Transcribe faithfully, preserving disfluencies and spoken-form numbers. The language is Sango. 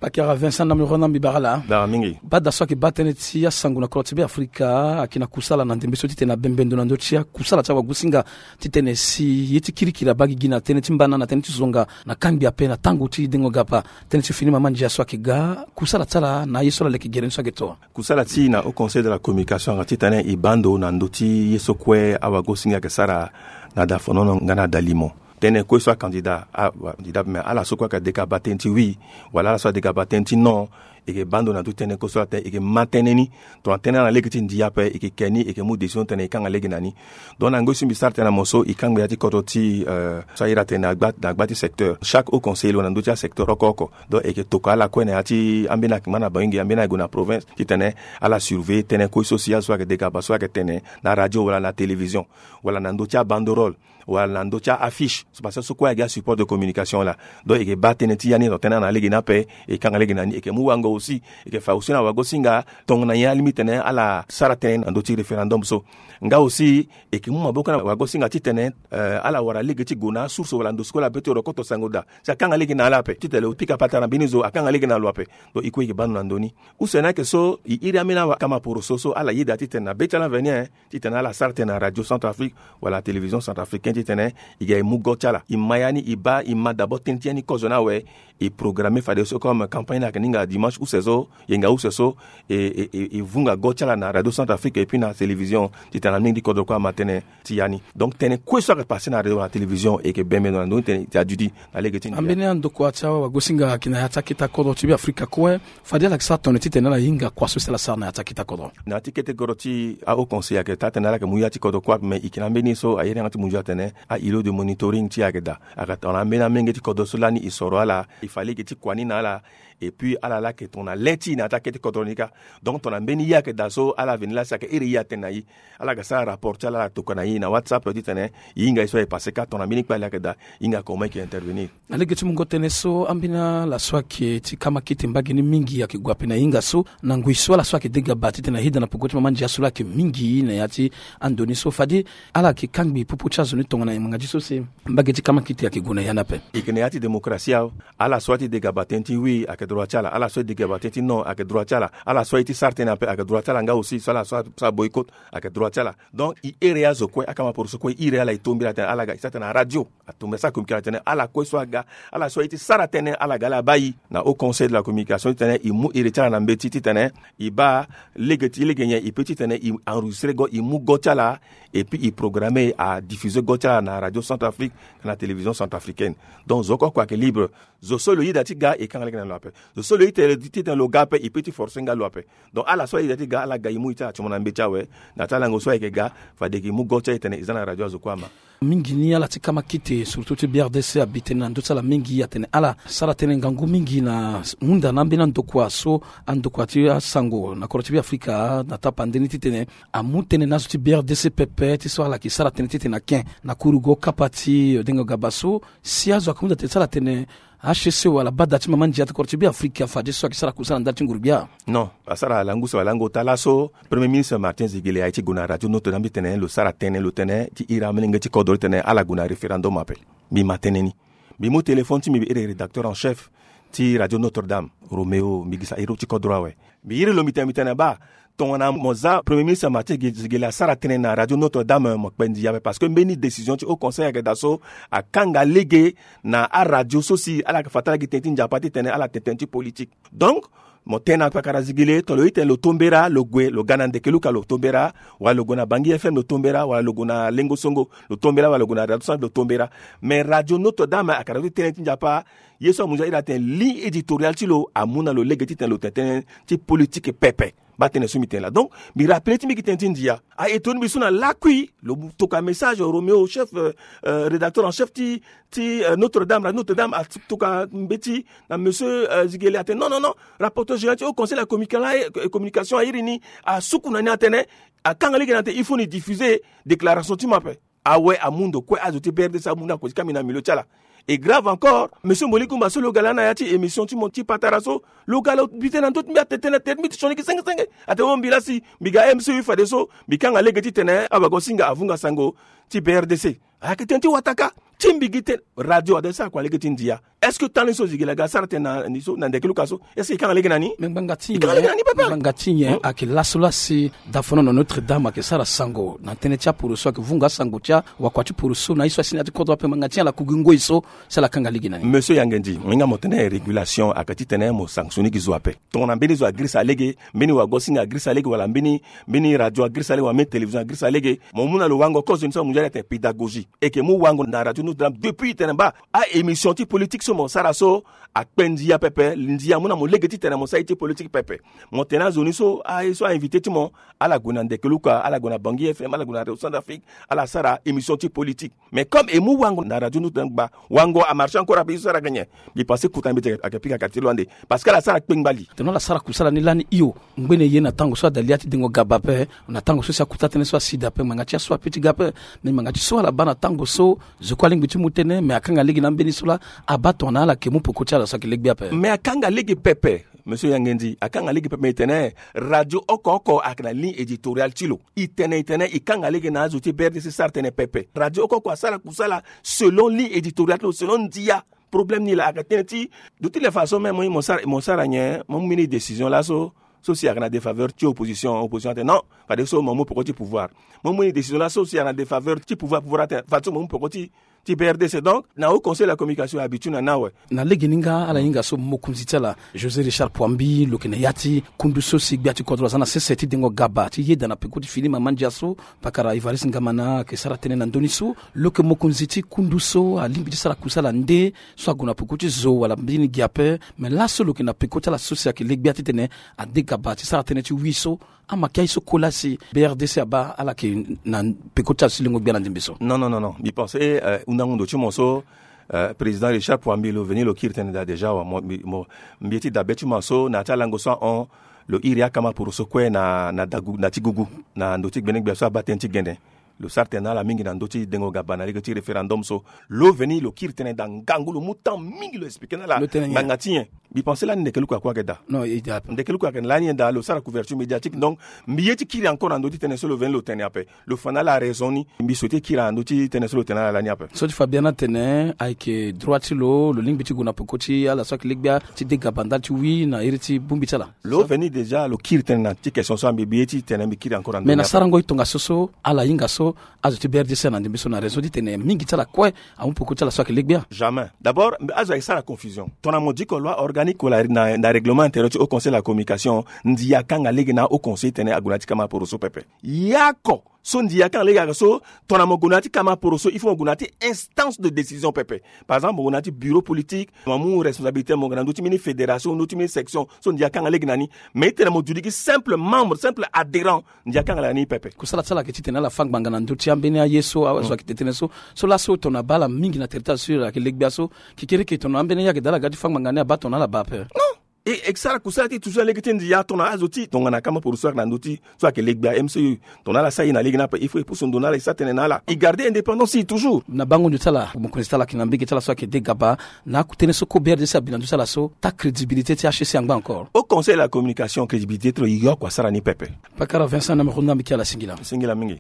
Akira Vincent Namirona, mbi bara ala. Bara mingi. Bada so ayeke baa tënë ti asango na kodro ti Be Afrika ayeke na kusala na ndembe so titene abembe ndo na ndö ti akusala ti awagosinga titene si ye ti kirikiri abaa gigi na tënë ti mbana na tënë ti zonga na kangbi ape na tango ti dengo gapa. Tënë ti fini mama ndia so ayeke ga kusala ti ala na aye so ala leke gere ni so ayeke to. Kusala ti na Haut Conseil de la Communication ayeke titene e baa ndo na ndö ti ye so kue awagosinga ayeke sara na da fonono nga na da limo. Tënë kue so akandida, a- wa- kandida me ala so kue ayeke deka baa tënë ti wi, wala ala so adeka baa tënë ti non, e yeke baa ndo na ndö ti tënë kue so atene e yeke ma tënë ni. Tongana tënë ala na lege ti ndia ape, e yeke ke ni, e yeke mu décision titene e kanga lege na ni. Donc na ngoi so mbi sara tënë na mo so, e kangbi ya ti kodro ti, euh, so a iri atene na gba, na gba ti secteur. Chaque haut conseiller lo na ndö ti asecteur oko oko. Donc e yeke tokua ala kue na ya ti ambeni ayeke ngba na Bangi, ambeni aye gue na province titene ala surveiller tënë kue so si azo so ayeke deka baa so ayeke tene na radio wala na télévision, wala na ndö ti abanderole, wala na ndö ti a-affiche, so parce que so kue ayeke a support de communication laa. Donc e yeke baa tënë ti ya ni, tongana tënë ala na lege ni ape, e kanga lege na ni. E yeke mu wango aussi, e yeke fa aussi na wagosinga tongana nyen alingbi titene ala sara tënë na ndö ti référendum so. Nga aussi e yeke mu maboko na wagosinga titene, euh, ala wara lege ti gue na asource wala ndo so kue ala be ti wara koto sango daa, si akanga lege na ala ape titene lo pika patara mbeni zo, akanga lege na lo ape. Donc e kue e yeke baa ndo na ndo ni. Use ni ayeke so e iri ambeni akama poroso so ala yeda titene na be ti ala veni, eh, titene ala sara tënë na radio Centrafrique wala télévision centrafricaine titene e ga e mu go ti ala. E ma ya ni, e baa, e ma d'abord tënë ti ya ni kozo ni awe. E programme fadeso comme campagne ni ayeke ni nga dimanche use so, yenga use so, e, e, e, e vunga go ti ala na radio Centrafrique et puis na télévision titene amolenge ti kodro kue ama tënë ti ya ni. Donc tënë kue so ayeke passé na radio na télévision e yeke bembe ndo na ndö ni titene e duti na lege ti ndia. Ambeni andokua ti awagosinga ayeke na ya ti akete kodro ti Be Afrika kue. Fade ala yeke sara tongana nyen titene ala hinga kua so si ala sara na ya ti akete kodro? Na ya ti kete kodro ti a-haut conseil ayeke taa tënë ala yeke mu ya ti kodro kue ape, me e yeke na ambeni so a iri yanga ti munzu atene a-îlot de monitoring ti e ayeke daa. Ayeke tongana ambeni amolenge ti kodro so lani e soro ala, e fa lege ti kua ni na ala. Et puis ala laa ayeke tongana le ti e na ya ti akete kodro ni kâ. Donc tongana mbeni ye ayeke daa so ala veni laa si ayeke iri ye atene na e, ala ga sara rapport ti ala, ala tokua na e na WhatsApp titene e hinga ye so aye passé kâ, tongana mbeni kpale ayeke daa, e hinga comment e yeke intervenir. Na lege ti mungo tënë so, ambeni ala so ayeke ti kamakete mbage ni mingi ayeke gue ape na e hinga so, na ngoi so ala so ayeke dega baa titene aheda na peko ti mama ndia so laa ayeke mingi na ya ti ando ni so. Fade ala yeke kangbi popo ti azo ni tongana nyen? Ngbanga ti so si mbage ti kamakete ayeke gue na ya ni ape. E yeke na ya ti démocratie awe. Ala so aye ti dega baa tënë ti wi ayeke droit ti ala, ala so aye ti dega baa tënë ti non ayeke droit ti ala, ala so aye ti sara tënë ape ayeke droit ti ala, nga aussi so ala so asara boycott ayeke droit ti ala. Donc e iri azo kue, akama poroso kue e iri ala, e to mbeni atene ala ga e sara tënë na radio. Ato mbeni asara communication atene ala kue so aga, ala so aye ti sara tënë, ala ga ala baa e na haut conseil de la communication titene e mu iri ti ala na mbeti titene e baa lege ti lege nyen e peut titene e enregistré go, e mu go ti ala, et puis e programmé, a diffusé go ti ala na radio Centrafrique, na télévision centrafricaine. Donc zo oko oko ayeke libre. Zo so lo yeda ti ga e kanga lege na lo ape. Zo so lo yeda ti tene lo ga ape, e peut ti forcé nga lo ape. Donc ala so ayeda ti ga, ala ga e mu e ti ala ti mo na mbeti awe. Na ya ti alango so ayeke ga, fade e yeke mu go ti ala e tene e za na radio azo kue ama. Mingi ni ala ti kamakete, surtout ti B R D C, abi tënë na ndö ti ala mingi, atene ala sara tënë ngangu mingi na hunda na ambeni andokua so, andokua ti asango na kodro ti Be Afrika na tapande ni titene amu tënë na azo ti B R D C pepe ti so ala yeke sara tënë titene aken na kurugo kapa ti dengo gaba so, si azo ayeke hunda tënë ti ala atene H C C wala bada ti mama ndia ti kodro ti Be Afrika, fadeso ayeke sara kusala ndali ti ngurugbia? Non, asara lango use wala lango ota laso Premier ministre Martin Ziguélé aye ti gue na radio Notre Dame titene lo sara tënë, lo tene ti iri amolenge ti kodro titene ala gue na référendum ape. Mbi ma tënë ni. Mbi mu téléphone ti mbi, mbi iri rédacteur en chef ti radio Notre Dame, Roméo, mbi gi sa iri ti kodro awe. Mbi iri lo, mbi tene, mbi tene baa, tongana mo za Premier ministre Martin Ziguélé asara tënë na radio Notre Dame, mo kpe ndia ape, parce que mbeni décision ti haut conseil ayeke daa so akanga lege na aradio so si ala yeke fa ti ala gi tënë ti nzapa titene ala tene tënë ti politique. Donc mo tene na kpakara Ziguélé, tongana lo ye tene lo to mbera, lo gue, lo ga na Ndekeluka, lo to mbera, wala lo gue na Bangi F M, lo to mbera, wala lo gue na Lengo Songo, lo to mbera, wala lo gue na Radio Centre, lo to mbera. Mais radio Notre Dame ayeke radio ti tënë ti nzapa. Ye so amu nzoni airi atene ligne éditoriale ti lo amu na lo lege titene lo tene tënë ti politique pepe. Baa tënë so mbi tene laa. Donc mbi rappeler ti mbi gi tënë ti ndia. A étonner mbi so na lakui lo tokua message Roméo, chef, euh, euh, rédacteur en chef ti, ti, euh, Notre Dame, radio Notre Dame, atokua mbeti na monsieur, euh, Ziguélé atene non, non, non, rapporteur général ti haut conseil de la communica-, communication airi ni, asuku na ni atene, akanga lege na atene il faut ni diffuser déclaration ti mo ape. Awe, amu ndo kue, azo ti B R D C amu ndo akue ti kangbi na milieu ti ala. Et grave encore, monsieur Moli Kumba so lo ga laa na ya ti émission ti mo ti patara so, lo ga lo bi tënë na ndö ti mbi, atene tënë, atene mbi ti sioni gi senge senge. Atene o mbi laa si mbi ga M C U fadeso mbi kanga lege titene awagosinga avunga sango ti B R D C. Ayeke tënë ti wataka. ti mbi gi tene radio ade sara kua lege ti ndia. Est-ce que temps ni so zigi laga sara tene na ni so na ndeke luka so? Est-ce que e kanga lege na ni? Me ngbanga ti nyen? Ngbanga ti nyen? Ayeke laso la si dafono na Notre Dame ayeke sara sango na tënë ti aporo so ayeke vunga asango ti awakua ti poro so na ye so asi na ya ti kodro ape ngbanga ti nyen ala kugi ngoi so si ala kanga lege na ni? Monsieur Yangendi, mo hinga mo tene régulation ayeke titene mo sanctionner gi zo ape. Tongana mbeni zo agirisa lege, mbeni wagosinga agirisa lege wala mbeni mbeni radio agirisa lege wala mbeni télévision agirisa lege, mo mu na lo wango kozo ni so amunzu ala tene pédagogie. E yeke mu wango na radio Notre Dame depuis tene baa a-émission ti politique so mo sara so akpe ndia pepe. Ndia amu na mo lege titene mo sara ye ti politique pepe. Mo tene azo ni so aye so a-invité ti mo ala gue na ndeke luka, ala gue na Bangui F M, ala gue na Radio Centrafrique, ala sara émission ti politique. Mais comme e mu wango na radio Notre Dame gba, wango amarché encore ape ye so sara gagné. Mbi pensé kota mbi ti ayeke pika kati ti lo ande. Parce que ala sara kpengbali. Tene ala sara kusala ni lani hio. Ngbene ye na tango so ada li ya ti dengo gaba ape, na tango so si akuta tënë so asi daa ape, ngbanga ti aso ape ti ga ape. Mais ngbanga ti so ala baa na tango so zo kue alingbi ti mu tënë, mais akanga lege na ambeni so laa abaa tongana ala yeke mu peko ti ala so ayeke legbe ape. Mais akanga lege pepe. Monsieur Yangendi, akanga lege pepe. Mais e tene radio oko oko ayeke na ligne éditoriale ti lo. E tene e tene e kanga lege na azo ti B R D C sara tënë pepe. Radio oko oko asara kusala selon ligne éditoriale ti lo, selon ndia. Problème ni laa ayeke tënë ti, de toutes les façons même, mo sara mo sara nyen? Mo mu mbeni décision laso so si ayeke na défaveur ti opposition, opposition atene non, fadeso mo mu peko ti pouvoir. Mo mu mbeni décision laso si ayeke na défaveur ti pouvoir, pouvoir atene fadeso mo mu peko ti ti B R D C. Donc na Haut Conseil de la Communication abitu na ni awe. Na legeni nga ala hinga so mokonzi ti ala José Richard Pouambi lo yeke na ya ti kundu so si gbia ti kodro aza na sese ti dengo gaba ti yeda na peko ti fini mama ndia so. Pakara Évariste Ngamana ayeke sara tënë na ndö ni so. Lo yeke mokonzi ti kundu so alingbi ti sara kusala nde so ague na peko ti zo wala mbeni gi ape. Me laso lo yeke na peko ti ala so si ayeke legbia titene ade gaba ti sara tënë ti wi so. Ama kia ye so kola si B R D C abaa ala yeke na peko ti ala so lengo gbia na ndembe so. Non, non, non, non. Mbi pense, eh, hundango ndo ti mo so, eh, président Richard Pouambi lo veni lo kiri tënë daa déjà wa mo, mbi, mo, mbi ye ti dabe ti mo so na ya ti alango so ahon, lo iri akama poroso kue na, na dagu, na ti gugu, na ndo ti gbene gbia so abaa tënë ti gene. Lo sara tënë na ala mingi na ndö ti dengo gaba na lege ti référendum so. Lo veni lo kiri tënë daa ngangu, lo mu temps mingi lo expliqué na ala. Lo tene nyen? Ngbanga ti nyen? Mbi pense lani ndeke luka kue ayeke daa. Non, e daa ape. Ndeke luka ayeke na lani nyen daa, lo sara couverture médiatique. Donc mbi ye ti kiri encore na ndö ti tënë so lo veni lo tene ape. Lo fa na ala raison ni. Mbi souhaité kiri na ndö ti tënë so lo tene na ala lani ape. So ti fa biani atene ayeke droit ti lo, lo lingbi ti gue na peko ti ala so ayeke legbia ti de gaba ndali ti wi na iri ti bongbi ti ala. Lo veni déjà lo kiri tënë na ti question so, ambi mbi ye ti tene mbi kiri encore na ndö ni ape. Mais na sarango e tongaso so ala hinga so azo ti B R D C na ndembe so na raison ti tene mingi ti ala kue amu peko ti ala so ayeke legbia. Jamais. D'abord azo ayeke sara confusion. Tongana mo diko loi organique wala na, na règlement intérieur ti Haut Conseil de la Communication, ndia akanga lege na Haut Conseil titene ague na ya ti kama poroso pepe. Yako so ndia akanga lege ayeke so, tongana mo gue na ya ti kama poroso, il faut mo gue na ya ti instance de décision pepe. Par exemple mo gue na ya ti bureau politique, mo amu responsabilité, mo gue na ndö ti mbeni fédération, ndö ti mbeni section, so ndia akanga lege na ni. Mais titene mo duri gi simple membre, simple adhérent, ndia akanga lege na ni pepe. Kusala ti ala ayeke titene ala fâ ngbanga na ndö ti ambeni aye so azo ayeke tene tënë so. So laso tongana abaa ala mingi na territoire so ala yeke legbia so, kekereke tongana ambeni aye ayeke daa ala ga ti fâ ngbanga ni, abaa tongana ala baa ape. Non. E, e sara kusala ti toujours na lege ti ndia tongana azo ti tongana kama poroso ayeke na ndö ti so ayeke legbia M C U. Tongana ala sara ye na lege ni ape, il faut e pusu ndo na ala, e sara tënë na ala, e garder indépendance ti e toujours. Na bango ndio ti ala, mokonzi ti ala ayeke na mbege ti ala so ayeke de gaba. Na akutene so ko B R D C abi na ndö ti ala so, taa crédibilité ti H C C angba encore. Haut Conseil de la Communication, crédibilité ti lo e oko asara ni pepe. Pakara Vincent na meko nda mbi ki ala singila. Singila mingi.